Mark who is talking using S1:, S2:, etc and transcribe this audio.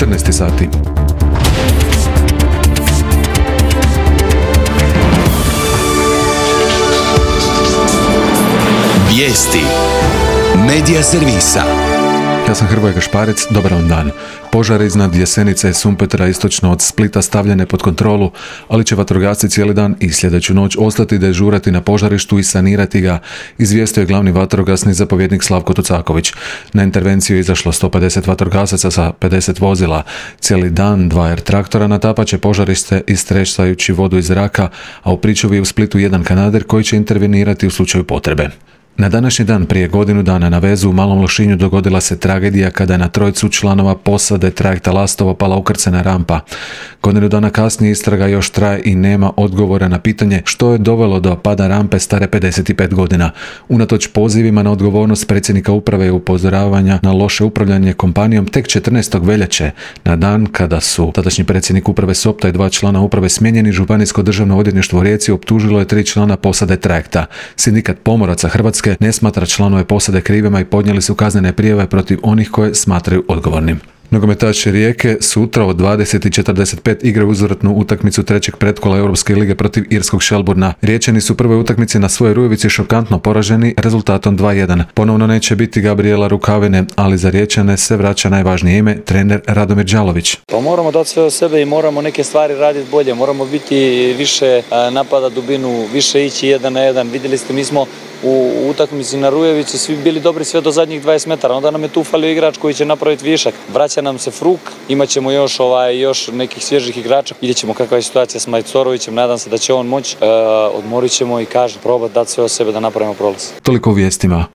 S1: 14 sati.
S2: Vijesti Medija servisa.
S1: Ja sam Hrvoje Gašparec, dobar vam dan. Požar iznad Jesenice i Sumpetra istočno od Splita stavljene pod kontrolu, ali će vatrogasci cijeli dan i sljedeću noć ostati dežurati na požarištu i sanirati ga, izvijestio je glavni vatrogasni zapovjednik Slavko Tucaković. Na intervenciju je izašlo 150 vatrogasaca sa 50 vozila. Cijeli dan 2 air traktora natapat će požarište istresajući vodu iz zraka, a u pričuvi je u Splitu jedan kanader koji će intervenirati u slučaju potrebe. Na današnji dan prije godinu dana na vezu u Malom Lošinju dogodila se tragedija kada je na trojicu članova posade trajekta Lastovo pala ukrcana rampa. Godinu dana kasnije istraga još traje i nema odgovora na pitanje što je dovelo do pada rampe stare 55 godina. Unatoč pozivima na odgovornost predsjednika uprave i upozoravanja na loše upravljanje kompanijom, tek 14. veljače, na dan kada su tadašnji predsjednik uprave Sopta i 2 člana uprave smijenjeni, Županijsko državno odvjetništvo u Rijeci optužilo je 3 člana posade trajekta. Sindikat pomoraca Hrvatske ne smatra članove posade krivima i podnijeli su kaznene prijave protiv onih koje smatraju odgovornim. Nogometaši Rijeke sutra od 20:45 igraju uzvratnu utakmicu trećeg pretkola Europske lige protiv irskog Shelbourna. Riječani su u prvoj utakmici na svojoj Rujevici šokantno poraženi rezultatom 2:1. Ponovno neće biti Gabriela Rukavine, ali za Riječane se vraća najvažnije ime, trener Radomir Đalović.
S3: Pa moramo dati sve od sebe i moramo neke stvari raditi bolje, moramo biti više napada dubinu, više ići 1 na 1. Vidjeli ste, mi smo u utakmici na Rujevici svi bili dobri sve do zadnjih 20 metara, onda nam je tu falio igrač koji će napraviti višak. Vraća nam se Fruk, imat ćemo još nekih svježih igrača. Vidjet ćemo kakva je situacija s Majcorovićem, nadam se da će on moći, odmorit ćemo i probati dati sve od sebe da napravimo prolaz.
S1: Toliko u vijestima.